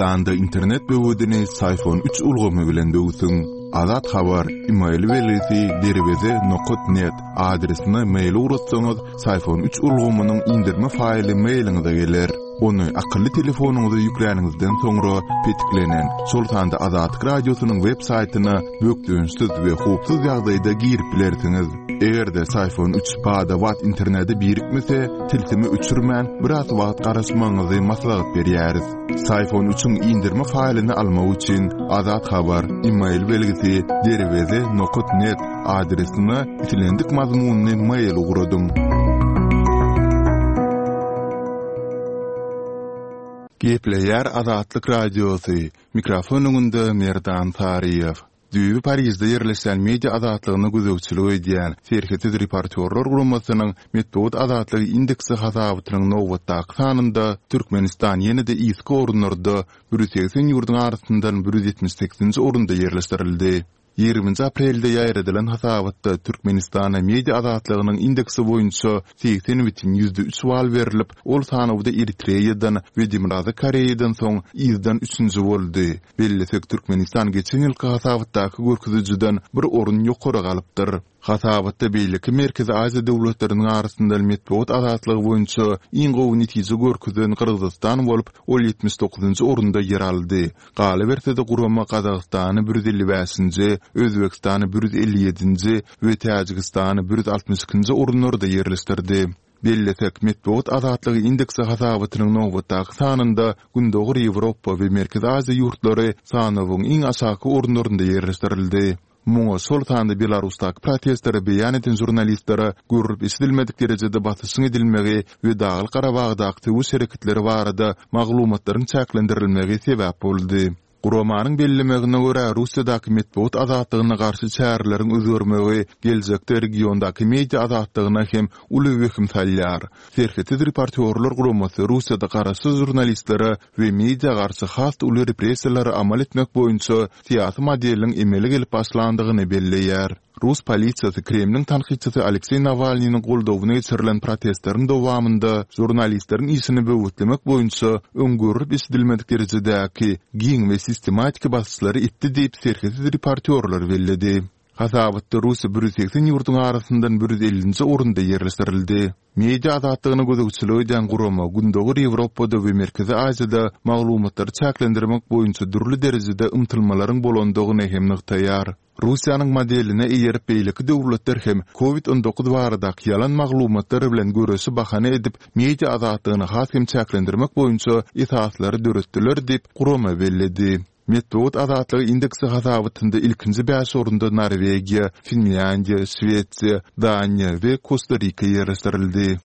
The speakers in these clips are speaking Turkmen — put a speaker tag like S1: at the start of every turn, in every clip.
S1: Türkmenistanda internet böwedini Syfon üç ulgamy bilen döwsüň. Azat Habar, email belgisi derweze nokat net adresine mail ugratsaňyz, Syfon üç ulgamynyň indirme faýly mailiňize geler. Ony akylly telefonyňyza ýükläniňizden soňra petiklenen, şol sanda Azatlyk Radiosynyň web saýtyna bökdençsiz we howpsuz ýagdaýda girip bilersiňiz. Eger-de Syfon üç bada-bat internete birikmese, tilsimi öçürmän, biraz wagt garaşmagyňyzy maslahat berýäris. Syfon üçiň indirme faýlyny almak üçin Azat Habar, email belgisi derweze nokat net adresine islendik mazmunly mail ugradyň. Gepleýär Azatlyk Radiosy, mikrofon öňünde Merdan Saryýew. Düýbi Parižde ýerleşýän media azatlygyna gözegçilik edýän Serhetsiz reportýorlar guramasynyň Metbugat azatlygy indeksi hasabatynyň nobatdaky sanynda Türkmenistan ýene-de yzky orunlarda, 180 ýurduň arasyndan 178-nji orunda ýerleşdirildi. Ýigriminji aprelde ýaýradylan hasabatda Türkmenistana media azatlygynyň indeksi boýunça 80,3 bal berlip, ol sanawda Eritreýadan we Demirgazyk Koreýadan soň yzdan üçünji boldy. Bellesek, Türkmenistan geçen ýylky hasabatdaky görkezijiden bir orun ýokary galypdyr. Hasabatda beýleki Merkezi Aziýa döwletleriniň arasynda metbugat azatlygy boýunça iň gowy netije görkezen Gyrgyzystan bolup, ol 79-njy orunda ýer aldy. Galyberse-de, gurama Gazagystany 155-nji, Özbegistany 157-nji we Täjigistany 162-nji orunlarda ýerleşdirdi. Bellesek, Metbugat azatlygy indeksi hasabatynyň nobatdaky sanynda Gündogar Ýewropa we Merkezi Aziýa ýurtlary sanawyň iň aşaky orunlarynda ýerleşdirildi. Muňa şol sanda Belarusdaky protestleri beýan eden žurnalistlere görlüp-eşidilmedik derejede basyşyň edilmegi we Daglyk-Garabagdaky söweş hereketleri barada maglumatlaryň çäklendirilmegi sebäp boldy. Guramanyň bellemegine görä, Russiýadaky metbugat azatlygyna garşy çäreleriň özgermegi geljekde regiondaky media azatlygyna hem uly wehim salýar. Serhetsiz reportýorlar guramasy Russiýada garaşsyz žurnalistlere we media garşy has uly repressiýalary amal etmek boýunça syýasy modeliň emele gelip başlandygyny belleýär. Rus polisiýasy Kremliň tankytçysy Alekseý Nawalnynyň goldawyna geçirilen protestleriň dowamynda žurnalistleriň işini böwetlemek boýunça öň görlüp-eşidilmedik derejedäki giň we sistematiki basyşlary etdi diýip, serhetsiz reportýorlar belledi. Hasabatda Russiýa 180 ýurduň arasyndan 150-nji orunda ýerleşdirildi. Media azatlygyna gözegçilik edýän gurama Gündogar Ýewropada we Merkezi Aziýada maglumatlary çäklendirmek boýunça dürli derejede ymtylmalaryň bolandygyny hem nygtaýar. Russiýanyň modeline eýerip beýleki döwletler hem Covid 19 baradaky ýalan maglumatlar bilen göreşi bahana edip media azatlygyny has hem çäklendirmek boýunça esaslary döretdiler diýip, gurama belledi. Metbugat azatlygy indeksi hasabatynda ilkinji bäş orunda Norwegiýa, Finlýandiýa, Şwesiýa, Daniýa we Kosta-Rika ýerleşdirildi.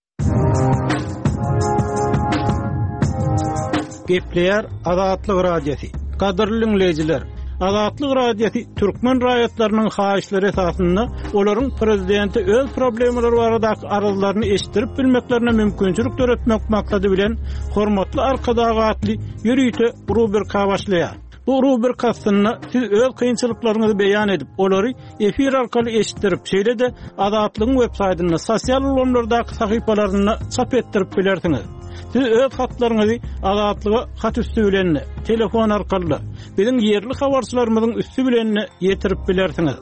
S2: Gepleýär Azatlyk Radiosy. Gadyrly diňleýjiler, Azatlyk Radiosy türkmen raýatlarynyň haýyşlary esasynda olaryň prezidente öz problemalary baradaky arzlaryny eşitdirip bilmeklerine mümkinçilik döretmek maksady bilen Hormatly Arkadag atly ýörite rubrika başlaýar. Bu rubrika astynda siz öz kynçylyklaryňyzy beýan edip, olary efir arkaly eşitdirip, şeýle-de Azatlygyň websaýtynda, sosial ulgamlardaky sahypalarynda çap etdirip bilersiňiz. Siz öz hatlaryňyzy Azatlyga hat üsti bilen-de, telefon arkaly-da, biziň ýerli habarçylarymyzyň üsti bilen-de ýetirip bilersiňiz.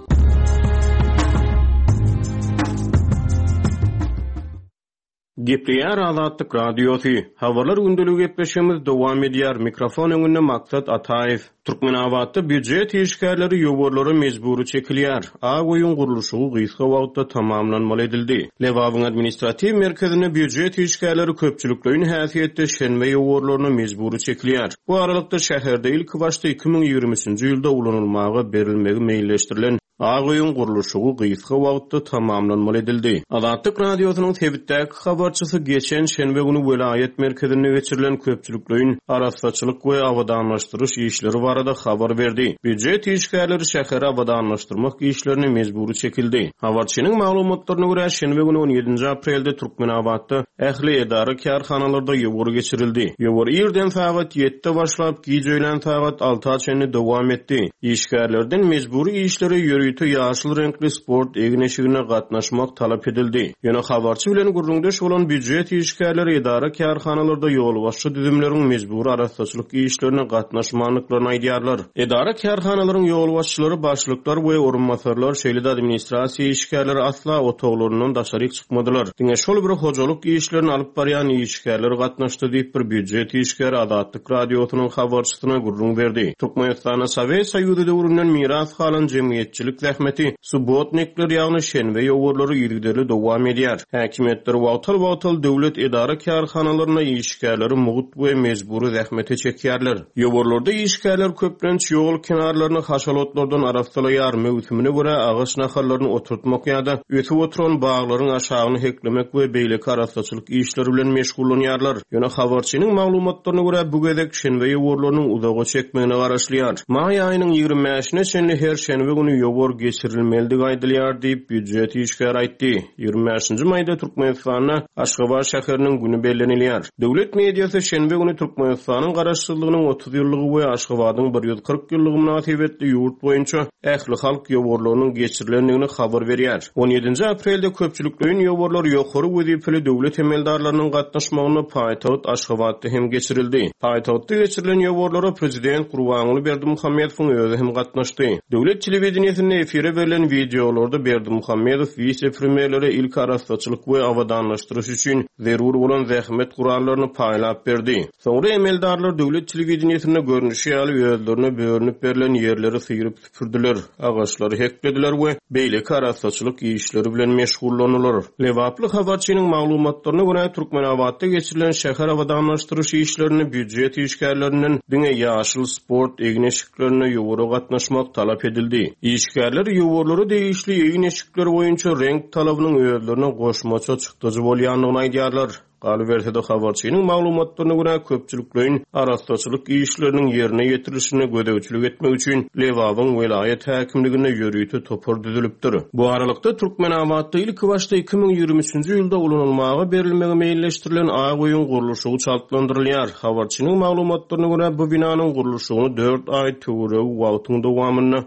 S3: Gepleýär Azatlyk Radiosy. Habarlar gündeligi gepleşigimiz dowam edýär. Mikrofon öňünde Maksat Ataýew. Türkmenabatda býujet işgärleri ýowarlara mejbury çekilýär. Ak öýüň gurluşygy gysga wagtda tamamlanmaly edildi. Lebabyň administratiw merkezinde býujet işgärleri köpçülikleýin häsiýetde şenbe ýowarlaryna mejbury çekilýär. Bu aralykda, şäherde ilkibaşda 2023-nji ýylda ulanylmaga berilmegi meýilleşdirilen Ak öýüň gurluşygy gysga wagtda tamamlanmaly edildi. Azatlyk Radiosynyň sebitdäki habarçysy geçen şenbe güni welaýat merkezinde geçirilen köpçülikleýin arassaçylyk we abadanlaşdyryş işleri barada habar berdi. Býujet işgärleri şäheri abadanlaşdyrmak işlerine mejbury çekildi. Habarçynyň maglumatlaryna görä, şenbe güni on ýedinji aprelde Türkmenabatda ähli edara-kärhanalarda ýowar geçirildi. Ýowar irden sagat ýedide başlap, giç öýlän sagat alta çenli dowam etdi. Işgärlerden mejbury işlere ýörite. ýörite ýaşyl reňkli sport egin-eşigine gatnaşmak talap edildi. Ýöne habarçy bilen gürrüňdeş bolan býujet işgärleri edara-kärhanalarda ýolbaşçy düzümleriň mejbury arassaçylyk işlerine gatnaşmandyklaryny aýdýarlar. Edara-kärhanalaryň ýolbaşçylary, başlyklar we orunbasarlar, şeýle-de administrasiýa işgärleri asla otaglaryndan daşaryk çykmadylar. Diňe şol bir hojalyk işlerini alyp barýan işgärler gatnaşdy diýip, bir býujet işgäri Azatlyk Radiosynyň habarçysyna gürrüň berdi. Türkmenistanda Sowet Soýuzy döwründen miras galan jemgyýetçilik zähmeti, subbotnikler, ýagny şenbe ýowarlary yzygiderli dowam edýär. Häkimiýetler wagtal-wagtal döwlet edara-kärhanalarynda işgärleri mugt we mejbury zähmete çekýärler. Ýowarlarda işgärler köplenç ýol kenarlaryny haşal otlardan arassalaýar, möwsümine görä agaç nahallaryny oturtmak ýa-da ösüp oturan baglaryň aşagyny heklemek we beýleki arassaçylyk işleri bilen meşgullanýarlar. Ýöne habarçynyň maglumatlaryna görä, bu gezek şenbe ýowarlarynyň uzaga çekmegine garaşylýar. Maý aýynyň 25 bäşine çenli her şenbe güni ýowar geçirilmelidigi aýdylýar diýip, býujet işgäri aýtdy. 25 nji maýda Türkmenistanda Aşgabat şäheriniň güni bellenilýär. Döwlet mediasy şenbe güni Türkmenistanyň Garaşsyzlygynyň 30 ýyllygy we Aşgabadyň 140 ýyllygy mynasybetli ýurt boýunça ählihalk ýowarlarynyň geçirilendigini habar berýär. On ýedinji aprelde köpçülikleýin ýowarlar ýokary wezipeli döwlet emeldarlarynyň gatnaşmagynda paýtagt Aşgabatda hem geçirildi. Paýtagtda geçirilen ýowarlara prezident Gurbanguly Berdimuhamedowyň özi hem gatnaşdy. Döwlet telewideniýesinde efire berlen wideolarda Berdimuhamedow wise-premýerlere ilki arassaçylyk we abadanlaşdyryş üçin zerur bolan zähmet gurallaryny paýlap berdi. Soňra emeldarlar döwlet telewideniýesinde görnüşi ýaly özlerine bölünip berlen ýerleri syryp süpürdiler, agaçlary heklediler we beýleki arassaçylyk işleri bilen meşgullandylar. Lebaply habarçynyň maglumatlaryna görä, Türkmenabatda geçirilen şäher abadanlaşdyryş işlerinde býujet işgärlerinden diňe ýaşyl sport egin-eşiklerinde ýowara gatnaşmak talap edildi. Işgärler ýowarlara degişli egin-eşikler boýunça reňk talabynyň özlerine goşmaça çykdajy bolýandygyny aýdýarlar. Galyberse-de, habarçynyň maglumatlaryna görä, köpçülikleýin arassaçylyk işleriniň ýerine ýetirilişine gözegçilik etmek üçin Lebabyň welaýat häkimliginde ýörite topar düzülipdir. Bu aralykda, Türkmenabatda ilkibaşda 2023-nji ýylda ulanylmaga berilmegi meýilleşdirilen Ak öýüň gurluşygy çaltlandyrylýar. Habarçynyň maglumatlaryna görä, bu binanyň gurluşygyny dört aý töweregi wagtyň dowamynda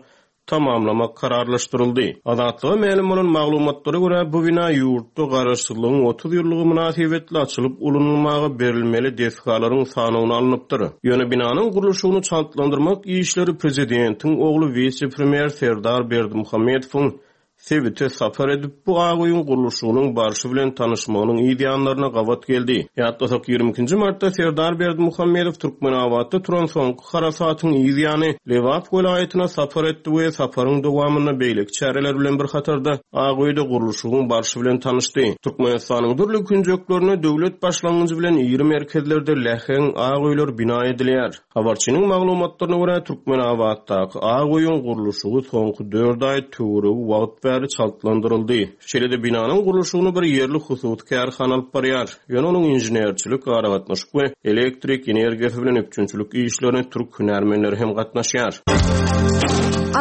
S3: tamamlamak kararlaşdyryldy. Azatlyga mälim bolan maglumatlara görä, bu bina ýurtda Garaşsyzlygyň 30 ýyllygy mynasybetli açylyp ulanylmaga berilmeli desgalaryň sanawyna alnypdyr. Ýöne binanyň gurluşygyny çaltlandyrmak işleri prezidentiň ogly wise-premýer Serdar Berdimuhamedowyň sebite sapar edip, bu ak öýüň gurluşygynyň barşy bilen tanyşmagynyň yz ýanlaryna gabat geldi. Ýatlasak, 22 nji martda Serdar Berdimuhamedow Türkmenabatda turan soňky harasatyň yz ýany Lebap welaýatyna sapar etdi we saparyň dowamynda beýleki çäreler bilen bir hatarda Ak öýde gurluşygyň barşy bilen tanyşdy. Türkmenistanyň dürli künjeklerinde döwlet başlangyjy bilen iri merkezlerde läheň ak öýler bina edilýär. Habarçynyň maglumatlaryna görä, Türkmenabatdaky Ak öýüň gurluşygy soňky dört aý töweregi wagt bäri çaltlandyryldy. Şeýle-de binanyň gurluşygyny bir ýerli hususy kärhana alyp barýar. Ýöne onuň inženerçilik, aragatnaşyk we elektrik energiýasy bilen üpjünçilik işlerine türk hünärmenleri hem gatnaşýar.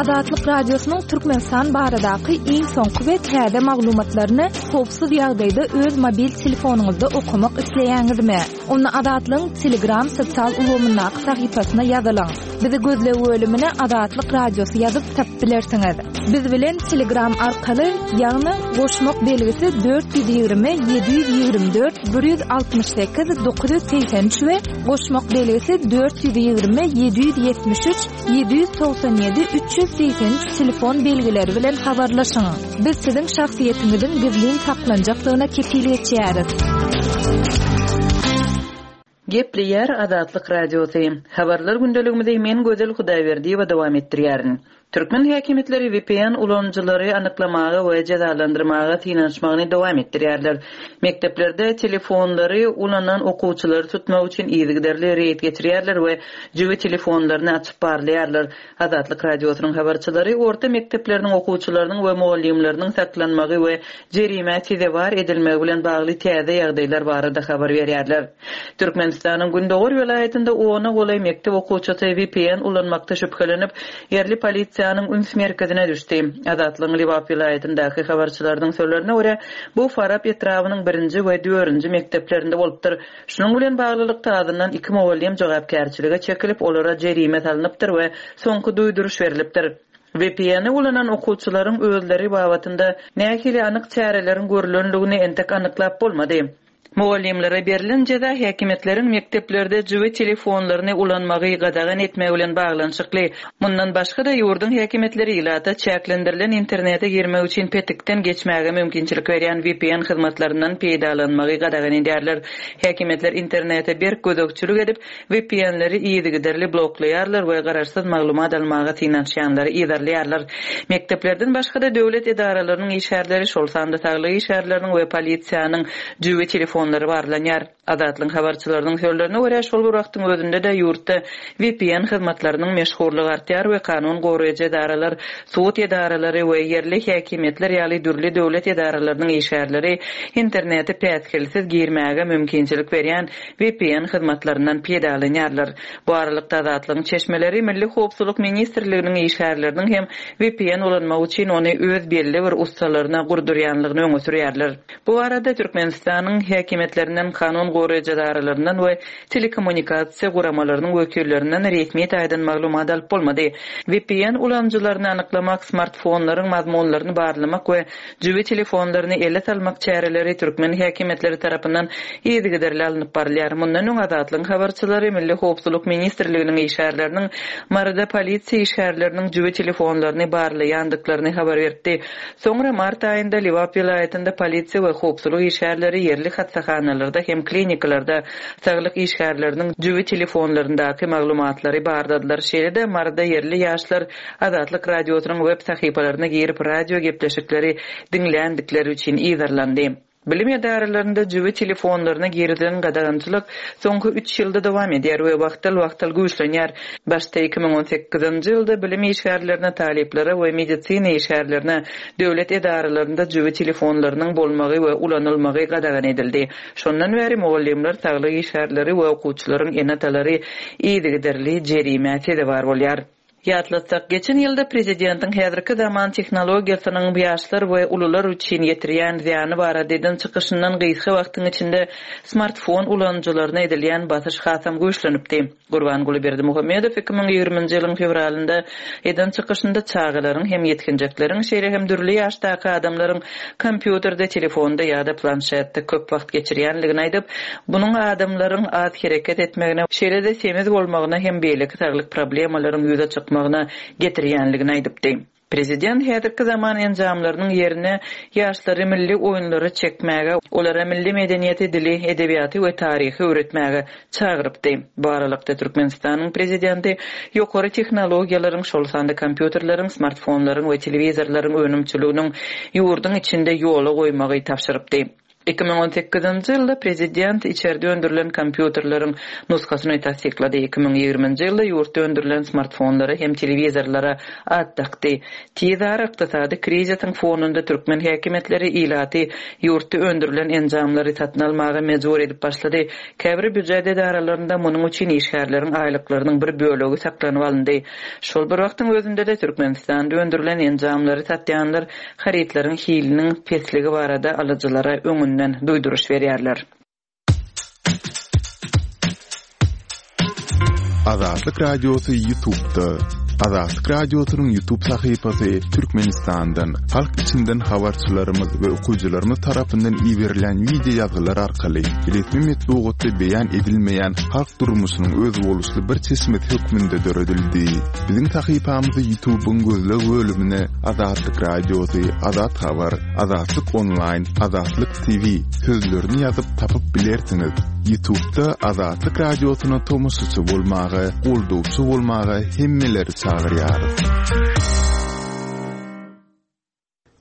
S4: Azatlyk Radiosynyň Türkmenistan baradaky iň soňky we täze maglumatlaryny howpsuz ýagdaýda öz mobil telefonyňyzda okamak isleýäňizmi? Onda Azatlygyň Telegram sosial ulgamyndaky sahypasyna ýazylyň. Bizi gözleg bölümine Azatlyk Radiosy ýazyp tapyp bilersiňiz. Biz bilen Telegram arkaly, ýagny goşmak belgisi 420 724 168 983 we goşmak belgisi 420 773 797 383 telefon belgileri bilen habarlaşyň. Biz siziň şahsyýetiňiziň gizlin saklanjakdygyna kepil geçýäris.
S5: Gepleýär Azatlyk Radiosy. Habarlar gündeligimizi men Gözel Hudaýberdiýewa dowam etdirýärin. Türkmen häkimiýetleri vpn ulanyjylary anyklamaga we jezalandyrmaga synanyşmagyny dowam etdirýärler. Mekdeplerde telefonlary ulanan okuwçylary tutmak üçin yzygiderli reýd geçirýärler we jübi telefonlaryny açyp barlaýarlar. Azatlyk Radiosynyň habarçylary orta mekdepleriniň okuwçylarynyň we mugallymlarynyň saklanmagy we jerimä sezewar edilmegi bilen bagly täze ýagdaýlar barada habar berýärler. Türkmenistanyň gündogar welaýatynda ona golaý mekdep okuwçysy vpn ulanmakda şübhelenip, ýerli polisiýanyň üns merkezine düşdi. Azatlygyň Lebap welaýatyndaky habarçylarynyň sözlerine görä, bu Farap etrabynyň birinji we dördünji mekdeplerinde bolupdyr. Şunuň bilen baglylykda, azyndan iki mugallym jogapkärçilige çekilip, olara jerime salnypdyr we soňky duýduryş berlipdir. VPN-i ulanan okuwçylaryň özleri babatynda nähili anyk çäreleriň görlendigini entek anyklap bolmady. Mugallymlara berlen jeza häkimiýetleriň mekdeplerde jübi telefonlaryny ulanmagy gadagan etmegi bilen baglanyşykly. Mundan başga-da, ýurduň häkimiýetleri ilata çäklendirilen internete girmek üçin petikden geçmäge mümkinçilik berýän vpn hyzmatlaryndan peýdalanmagy gadagan edýärler. Häkimiýetler internete berk gözegçilik edip, VPN-leri yzygiderli bloklaýarlar we garaşsyz maglumat almaga synanyşýanlary yzarlaýarlar. Mekdeplerden başga-da döwlet edaralarynyň işgärleri, şol sanda saglyk işgärleriniň we polisiýanyň jübi telefonlary barlanýar. Azatlygyň habarçylarynyň sözlerine görä, şol bir wagtyň özünde-de ýurtda VPN hyzmatlarynyň meşhurlygy artýar we kanun goraýjy edaralar, sud edaralary we ýerli häkimiýetler ýaly dürli döwlet edaralarynyň işgärleri internete päsgelsiz girmäge mümkinçilik berýän VPN hyzmatlaryndan peýdalanýarlar. Bu aralykda Azatlygyň çeşmeleri Milli howpsuzlyk ministrliginiň işgärleriniň hem VPN ulanmak üçin ony öz belli bir ussalaryna gurdurýanlygyny öňe sürýärler. Bu barada Türkmenistanyň häkimiýetlerinden, kanun goraýjy edaralaryndan we telekommunikasiýa guramalarynyň wekillerinden resmi taýdan maglumat alyp bolmady. VPN ulanyjylaryny anyklamak, smartfonlaryň mazmunlaryny barlamak we Jübi telefonlaryny ele salmak çäreleri türkmen häkimiýetleri tarapyndan yzygiderli alnyp barylýar. Mundan öň Azatlygyň habarçylary Milli howpsuzlyk ministrliginiň işgärleriniň Maryda polisiýa işgärleriniň jübi telefonlaryny barlaýandyklaryny habar beripdi. Soňra mart aýynda Lebap welaýatynda polisiýa we howpsuzlyk işgärleri ýerli hassahanalarda hem klinikalarda saglyk işgärleriniň jübi telefonlaryndaky maglumatlary barladylar. Şeýle-de Maryda ýerli ýaşlar Azatlyk Radiosynyň web sahypalaryna girip radio gepleşikleri diňländikleri üçin yzarlandy. Bilim edaralarynda jübi telefonlaryna girizilen gadagançylyk soňky üç ýylda dowam edýär we wagtal-wagtal güýçlenýär. Başda 2018-nji ýylda bilim işgärlerine, talyplara we medisina işgärlerine döwlet edaralarynda jübi telefonlarynyň bolmagy we ulanylmagy gadagan edildi. Şondan bäri mugallymlar, saglyk işgärleri we okuwçylaryň ene-atalary yzygiderli jerimä sezewar bolýar. Ýatlatsak, geçen ýylda prezidentiň häzirki zaman tehnologiýasynyň ýaşlar we ulular üçin ýetirýän zyýany barada eden çykyşyndan gysga wagtyň içinde smartfon ulanyjylaryna edilýän basyş hasam güýçlenipdi. Gurbanguly Berdimuhamedow 2020-nji ýylyň fewralynda eden çykyşynda çagalaryň hem ýetginjekleriň, şeýle hem dürli ýaşdaky adamlaryň kompýuterde, telefonda ýa-da planşetde köp wagt geçirýänligini aýdyp, munuň adamlaryň az hereket etmegine, şeýle-de semiz bolmagyna hem beýleki saglyk problemalaryň ýüze çykmagyna getirýänligini aýdypdy. Prezident häzirki zaman enjamlarynyň ýerine ýaşlary milli oýunlara çekmäge, olara milli medeniýeti, dili, edebiýaty we taryhy öwretmäge çagyrypdy. Bu aralykda, Türkmenistanyň prezidenti ýokary tehnologiýalaryň, şol sanda kompýuterleriň, smartfonlaryň we telewizorlaryň önümçiliginiň ýurduň içinde ýola goýmagy tabşyrypdy. 2018-nji ýylda prezident içerde öndürilen kompýuterleriň nusgasyny tassyklady, 2020-nji ýylda ýurtda öndürilen smartfonlara hem telewizorlara at dakdy. Tizara ykdysady krizisiň fonunda türkmen häkimiýetleri ilaty ýurtda öndürilen enjamlary satyn almaga mejbur edip başlady. Käbir býujet edaralarynda munuň üçin işgärleriň aýlyklarynyň bir bölegi saklanyp alyndy. Şol bir wagtyň özünde-de Türkmenistanda öndürilen enjamlary satýanlar harytlaryň hiliniň pesligi barada alyjylara öňünden duýduryş berýärler.
S1: Azatlyk Radiosy Ýutubda. Azatlyk Radiosynyň Ýutub sahypasy Türkmenistandan, halk içinden habarçylarymyz we okyjylarymyz tarapyndan iberilýän wideo ýazgylar arkaly resmi metbugatda beýan edilmeýän halk durmuşynyň özboluşly bir çeşmesi hökmünde döredildi. Biziň sahypamyzy Ýutubyň gözleg bölümine Azatlyk Radiosy, Azat Habar, Azatlyk Onlaýn, Azatlyk TV sözlerini ýazyp tapyp bilersiňiz. Ýutubda Azatlyk Radiosyna tomaşaçy bolmaga, goldawçy bolmaga hemmeleri çagyrýarys.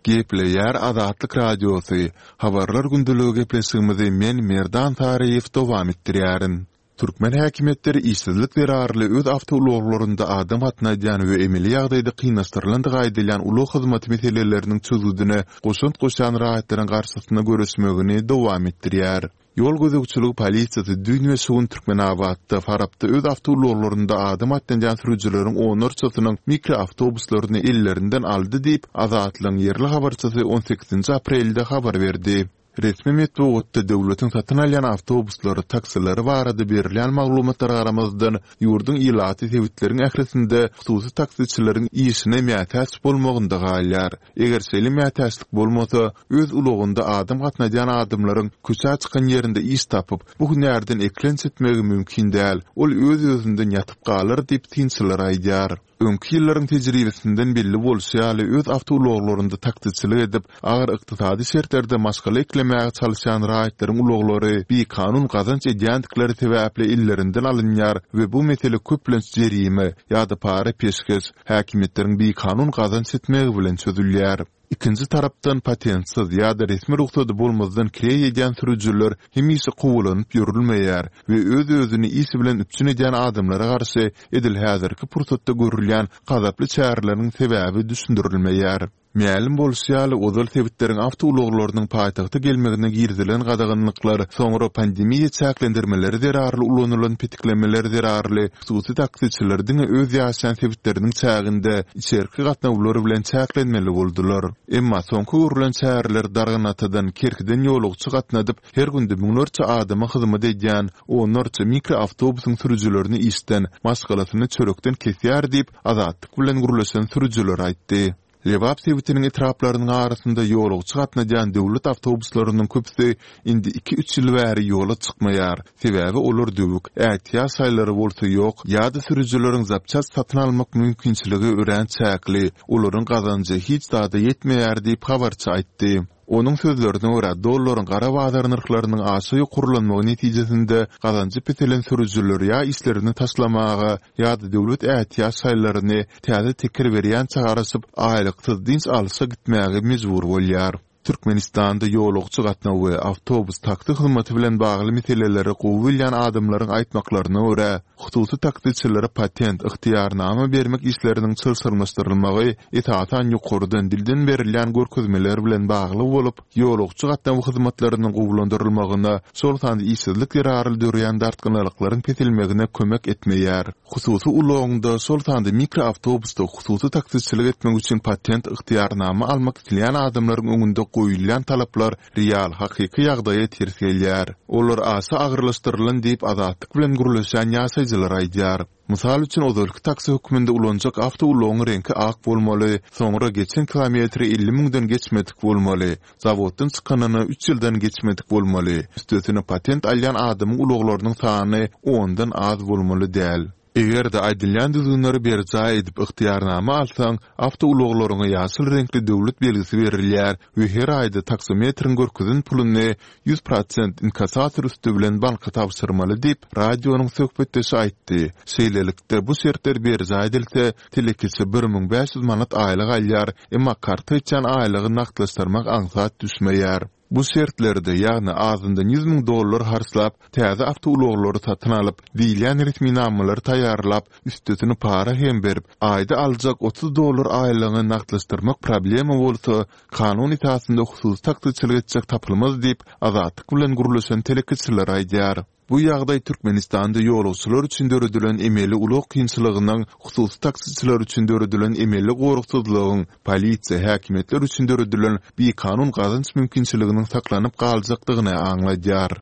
S1: Gepleýär Azatlyk Radiosy, Habarlar gündeligi gepleşigimizi men Merdan Saryýew dowam etdirýärin. Türkmen häkimiýetleri işsizlik zerarly öz awtoulaglarynda adam gatnadýan we emeli ýagdaýda kynlaşdyrylandygy aýdylýan ulag hyzmaty meseleleriniň çözgüdine goşant goşýan raýatlaryň garşysyna göreşmegini dowam etdirýär. Ýol gözegçiligi polisiýasy düýn we şu gün Türkmenabatda, Farapda öz awtoulaglarynda adam gatnadýan sürüjileriň onlarçasynyň mikroawtobuslaryny ellerinden aldy diýip, Azatlygyň ýerli habarçysy on sekizinji aprelde habar berdi. Resmi metbugatda döwletiň satyn alýan awtobuslary, taksileri barada berilýän maglumatlara garamazdan, ýurduň ilaty sebitleriň ählisinde hususy taksiçileriň işine mätäç bolmagynda galýar. Eger şeýle mätäçlik bolmasa, öz ulagynda adam gatnadýan adamlaryň köçä çykan ýerinde iş tapyp, bu hünärden eklenç etmegi mümkin däl, ol öz-özünden ýatyp galar diýip, synçylar aýdýar. Öňki ýyllaryň tejribesinden belli bolşy ýaly, öz awtoulaglarynda taksiçilik edip, agyr ykdysady şertlerde maşgala eklemäge çalyşýan raýatlaryň ulaglary bikanun gazanç edýändikleri sebäpli ellerinden alynýar we bu mesele köplenç jerime ýa-da para-peşgeş, häkimiýetleriň bikanun gazanç etmegi bilen çözülýär. Ikinji tarapdan, patentsiz ýa-da resmi rugsady bolmazdan kireý edýän sürüjiler hemişe kowalanyp ýörülmeýär we öz-özüni iş bilen üpjün edýän adamlara garşy edil häzirki pursatda görülýän gazaply çäreleriň sebäbi düşündirilmeýär. Mälim bolşy ýaly, ozal sebitleriň awtoulaglarynyň paýtagta gelmegine girizilen gadaganlyklar, soňra pandemiýa çäklendirmeleri zerarly ulanylan petiklemeler zerarly Hususy taksiçiler diňe öz ýaşaýan sebitleriniň çäginde içerki gatnawlar bilen çäklenmeli boldular. Emma soňky görlen çäreler Darganatadan, Kerkiden ýolagçy gatnadyp, her günde müňlerçe adama hyzmat edýän onlarça mikroawtobusyň sürüjilerini işden, maşgalasyny çörekden kesýär diýip, Azatlyk bilen gürleşen sürüjiler aýtdy. Lebap sebitiniň etraplarynyň arasynda ýolagçy gatnadýan döwlet awtobuslarynyň köpüsi indi iki-üç ýyl bäri ýola çykmaýar. Sebäbi olar döwük, ätiýaç şaýlary bolsa ýok ýa-da sürüjileriň zapçast satyn almak mümkinçiligi örän çäkli, olaryň gazanjy hiç zada ýetmeýär diýip, habarçy aýtdy. Onuň sözlerine görä, dollaryň gara bazar nyrhlarynyň aşa ýokarlanmagy netijesinde gazanjy peselen sürüjiler ýa işlerini taşlamaga, ýa-da döwlet ätiýaç şaýlaryny täze teker berýänçä garaşyp, aýlyksyz dynç alşa gitmäge mejbur bolýar. Türkmenistanda ýolagçy gatnawy we awtobus, taksi hyzmaty bilen bagly meseleleri gowy bilýän adamlaryň aýtmaklaryna görä, hususy taksiçilere patent, ygtyýarnama bermek işleriniň çylşyrymlaşdyrylmagy esasan ýokardan, dilden berilýän görkezmeler bilen bagly bolup, ýolagçy gatnawy hyzmatlarynyň gowulandyrylmagyna, şol sanda işsizlik zerarly döreýän dartgynlylyklaryň peselmegine kömek etmeýär. Hususy ulagyňda, şol sanda mikroawtobusda hususy taksiçilik etmek üçin patent, ygtyýarnama almak isleýän adamlaryň öňünde goýulýan talaplar real, hakyky ýagdaýa ters gelýär. Olar aşa agyrlaşdyrylan diýip, Azatlyk bilen gürleşen ýaşaýjylar aýdýar. Mysal üçin, ozalky taksi hökmünde ulanjak awtoulagyň reňki ak bolmaly, soňra geçen kilometri 50 müňden geçmedik bolmaly, zawoddan çykanyna üç ýyldan geçmedik bolmaly, üstesine patent alýan adamyň ulaglarynyň sany ondan az bolmaly däl. Eger-de aýdylýan düzgünleri berjaý edip ygtyýarnama alsaň, awtoulaglaryňa ýaşyl reňkli döwlet belgisi berilýär we her aýda taksometriň görkezen puluny 100% inkassator üsti bilen banka tabşyrmaly diýip, radionyň söhbetdeşi aýtdy. Şeýlelikde, bu şertler berjaý edilse, telekeçi 1500 manat aýlyk alýar, emma karta geçýän aýlygy nagtlaşdyrmak aňsat düşmeýär. Bu şertlerde, ýagny azyndan 100 müň dollar harçlap, täze awtoulaglary satyn alyp, diýilýän resminamalary taýýarlap, üstesine para hem berip, aýda aljak 30 dollar aýlygyňy nagtlaşdyrmak problema bolsa, kanun esasynda hususy taksiçilik etjek tapylmaz diýip, Azatlyk bilen gürleşen telekeçiler aýdýar. Bu ýagdaý Türkmenistanda ýolagçylar üçin döredilen emeli ulag kynçylygynyň, hususy taksiçiler üçin döredilen emeli goragsyzlygyň, polisiýa, häkimiýetler üçin döredilen bikanun gazanç mümkinçiliginiň saklanyp galjakdygyny aňladýar.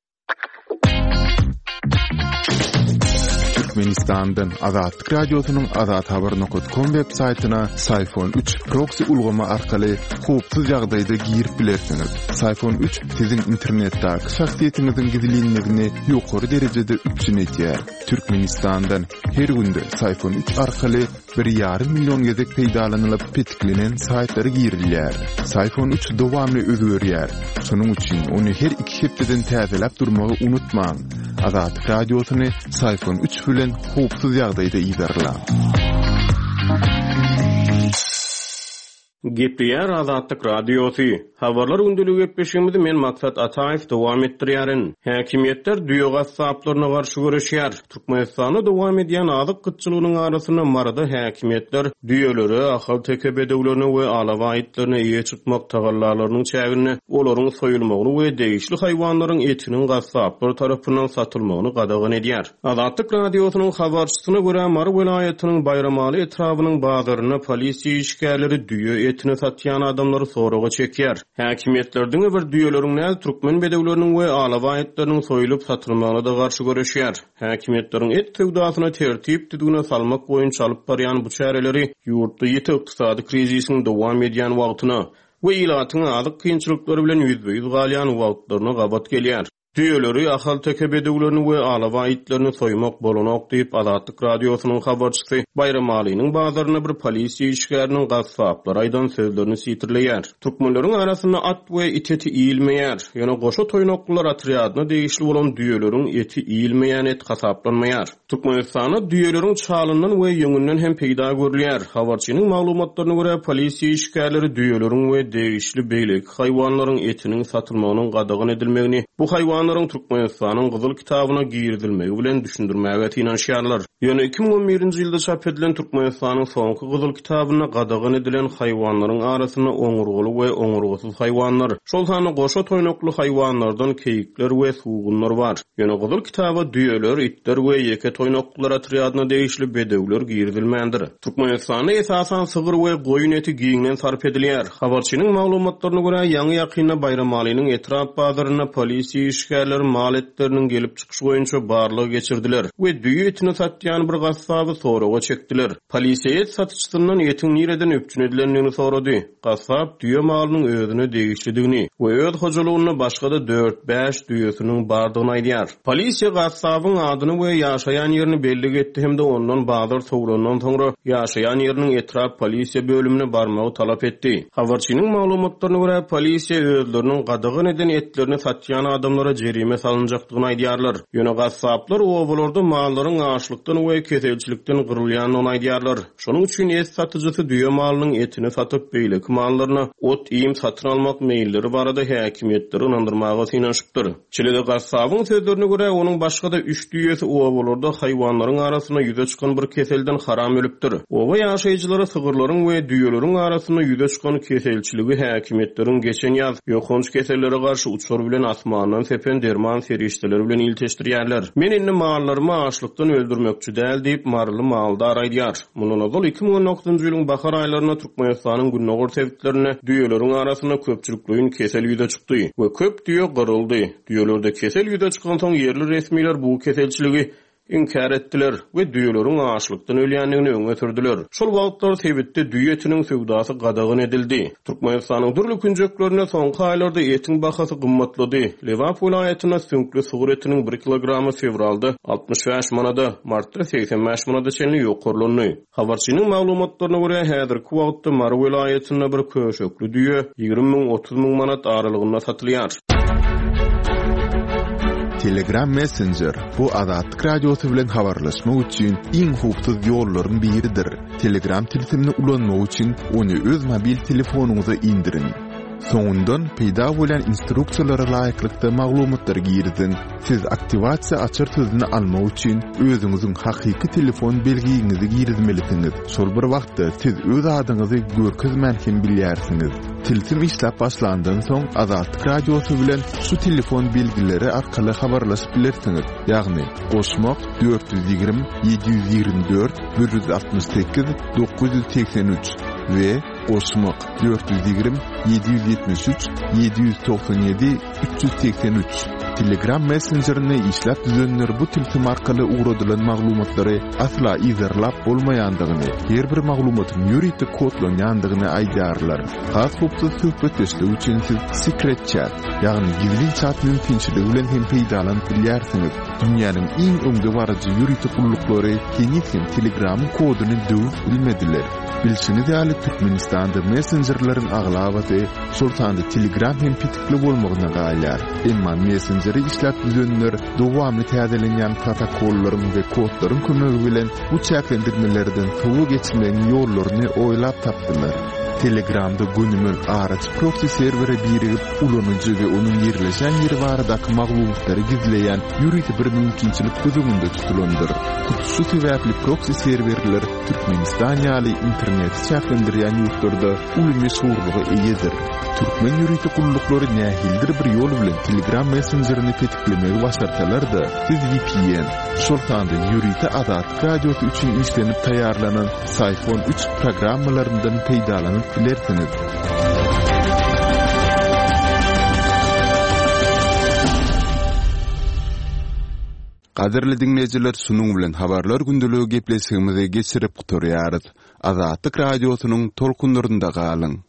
S1: Türkmenistandan Azatlyk Radiosynyň Azathabar nokat kom web saýtyna Syfon 3 proksi ulgamy arkaly howpsuz ýagdaýda girip bilersiňiz. Syfon 3 siziň internetdäki şahsyýetiňiziň gizlinligini ýokary derejede üpjün edýär. Türkmenistandan her günde Syfon 3 arkaly bir ýarym million gezek peýdalanylyp petiklenen saýtlara girilýär. Syfon 3 dowamly özgerýär. Şonuň üçin ony her iki hepdeden täzeläp durmagy unutmaň. Azatlyk Radiosyny Syfon 3 bilen howpsuz ýagdaýda yzarlaň.
S3: Gepleýär Azatlyk Radiosy. Habarlar gündeligi gepleşigimizi men Maksat Ataýew dowam etdirýärin. Häkimiýetler düýe gassaplaryna garşy göreşýär. Türkmenistanda dowam edýän azyk gytçylygynyň arasynda Maryda häkimiýetler düýelere, ahalteke bedewlerine we alabaý itlerine eýe çykmak tagallalarynyň çäginde olaryň soýulmagyny we degişli haýwanlaryň etiniň gassaplar tarapyndan satylmagyny gadagan edýär. Azatlyk Radiosynyň habarçysyna görä, Mary welaýatynyň Baýramaly etrabynyň bazarynda polisiýa işgärleri düýe. etini satýan adamlary soraga çekýär. Häkimiýetler diňe bir düýeleriň däl, türkmen bedewleriniň we alabaý itleriniň soýulyp satylmagyna-da garşy göreşýär. Häkimiýetleriň et söwdasyny tertip-düzgüne salmak boýunça alyp barýan bu çäreleri ýurtda ýiti ykdysady krizisiň dowam edýän wagtyna we ilatyň azyk kynçylyklary bilen ýüzbe-ýüz galýan wagtlaryna gabat gelýär. Düýeleri, ahalteke bedewlerini we alabaý itlerini soýmak bolanok diýip, Azatlyk Radiosynyň habarçysy Baýramalynyň bazarynda bir polisiýa işgäriniň gassaplara aýdan sözlerini sitirleýär. Türkmenleriň arasynda at we it eti iýilmeýär. Ýöne goşa toýnaklylar otrýadyna degişli bolan düýeleriň eti iýilmeýän et hasaplanmaýar. Türkmenistanda düýeleriň çalyndan we ýüňünden hem peýda görülýär. Habarçynyň maglumatlaryna görä, polisiýa işgärleri düýeleriň we degişli beýleki haýwanlaryň etiniň satylmagynyň gadagan edilmegini bu haýwanlaryň Türkmenistanyň Gyzyl kitabyna girizilmegi bilen düşündirmäge synanyşýarlar. Ýöne 2011-nji ýylda çap edilen Türkmenistanyň soňky Gyzyl kitabynda gadagan edilen haýwanlaryň arasynda oňurgaly we oňurgasyz haýwanlar, şol sanda goşa toýnakly haýwanlardan keýikler we sugunlar bar. Ýöne Gyzyl kitaba düýeler, itler we ýeke toýnaklylar otrýadyna degişli bedewler girizilmändir. Türkmenistanda esasan sygyr we goýun eti giňden sarp edilýär. Habarçynyň maglumatlaryna görä, ýaňy-ýakynda Baýramalynyň etrap bazarynda polisiýa işgärleri mal etleriniň gelip çykyşy boýunça barlag geçirdiler we düýe etini satýan bir gassaby soraga çekdiler. Polisiýa et satyjysyndan etiň nireden üpjün edilendigini sorady. Gassap düýe malynyň özüne degişlidigini we öz hojalygynda başga-da dört-bäş düýesiniň bardygyny aýdýar. Polisiýa gassabyň adyny we ýaşaýan ýerini bellik etdi hem-de ondan bazar sowlandan soňra ýaşaýan ýeriniň etrap polisiýa bölümine barmagy talap etdi. Habarçynyň maglumatlaryna görä, polisiýa özleriniň gadagan eden etlerini satýan adamlara jerime salynjakdygyny aýdýarlar. Ýöne gassaplar obalarda mallaryň açlykdan we keselçilikden gyrylýandygyny aýdýarlar. Şonuň üçin et satyjysy düýe malynyň etini satyp, beýleki mallaryna ot-iým satyn almak meýilleri barada häkimiýetleri ynandyrmaga synanyşypdyr. Şeýle-de gassabyň sözlerine görä, onuň başga-da üç düýesi obalarda haýwanlaryň arasynda ýüze çykan bir keselden haram ölüpdir. Oba ýaşaýjylary sygyrlaryň we düýeleriň arasynda ýüze çykan keselçiligi häkimiýetleriň geçen ýaz ýokanç kesellere garşy uçar bilen asmandan sepen derman serişdeleri bilen ilteşdirýärler. Men indi mallarymy açlykdan öldürmekçi däl diýip, maryly maldar aýdýar. Mundan ozal 2019-njy ýylyň bahar aýlarynda Türkmenistanyň gündogar sebitlerinde düýeleriň arasynda köpçülikleýin kesel ýüze çykdy we köp düýe gyryldy. Düýelerde kesel ýüze çykansoň ýerli resmiler bu keselçiligi inkär etdiler we düýeleriň açlykdan ölýändigini öňe sürdüler. Şol wagtlar sebitde düýe etiniň söwdasy gadagan edildi. Türkmenistanyň dürli künjeklerinde soňky aýlarda etiň bahasy gymmatlady. Lebap welaýatynda süňkli sygyr etiniň bir kilogramy fewralda 65 manada, martda 85 manada çenli ýokarlandy. Habarçynyň maglumatlaryna görä, häzirki wagtda Mary welaýatynda bir köşekli düýe 20 müň, 30 müň manat aralygynda satylýar.
S1: Telegram Messenger, bu Azatlyk Radiosy bilen habarlaşmak üçin iň howpsuz ýollaryň biridir. Telegram tilsimini ulanmak üçin ony öz mobil telefonyňyza indiriň. Soňundan peýda bolýan instruksiýalara laýyklykda maglumatlary giriziň. Siz aktiwasiýa açar sözüni almak üçin özüňiziň hakyky telefon belgiňizi girizmelisiňiz. Şol bir wagtda siz öz adyňyzy görkezmän hem bilýärsiňiz. Tilsim işläp başlandan soň Azatlyk Radiosy bilen şu telefon belgileri arkaly habarlaşyp bilersiňiz, ýagny, goşmak, 420 724 168 983 we goşmak 420 773 797 383. Telegram messenjerini işläp düzenler bu tilsim arkaly ugradylan maglumatlary asla yzarlap bolmaýandygyny, her bir maglumatyň ýörite kodlanýandygyny aýdýarlar. Has howpsuz söhbetdeşlik üçin siz Secret Chat, ýagny gizlin çat mümkinçiligi bilen hem peýdalanyp bilýärsiňiz. Dünýäniň iň öňdebaryjy ýörite gulluklary heniz hem Telegramyň koduny döwüp bilmediler. Bilşiňiz ýaly, Türkmenistanda messenjerleriň aglabasy, şol sanda Telegram hem petikli bolmagyna galýar. Emma messenjeri işläp düzenler dowamly täzelenýän protokollaryň we kodlaryň kömegi bilen bu çäklendirmelerden sowa geçmegiň ýollaryny oýlap tapdylar. Telegramda gönümel araçy proksi serwere birigip, ulanyjy we onuň ýerleşen ýeri baradaky maglumatlary gizleýän ýörite bir mümkinçilik göz öňünde tutulandyr. Hut şu sebäpli proksi serwerler Türkmenistan ýaly interneti çäklendirýän ýurtlarda uly meşhurlyga eýedir. Türkmen ýörite gulluklary nähilidir bir ýol bilen Telegram messenjerini petiklemegi başarsalar-da, siz vpn, şol sanda ýörite Azatlyk Radiosy üçin işlenip taýýarlanan Syphon üç programmalaryndan peýdalanyp. ýüzlenip bilersiňiz. Gadyrly diňleýjiler şunuň bilen Habarlar gündeligi gepleşigimizi geçirip gutarýarys. Azatlyk Radiosynyň tolkunlarynda galyň!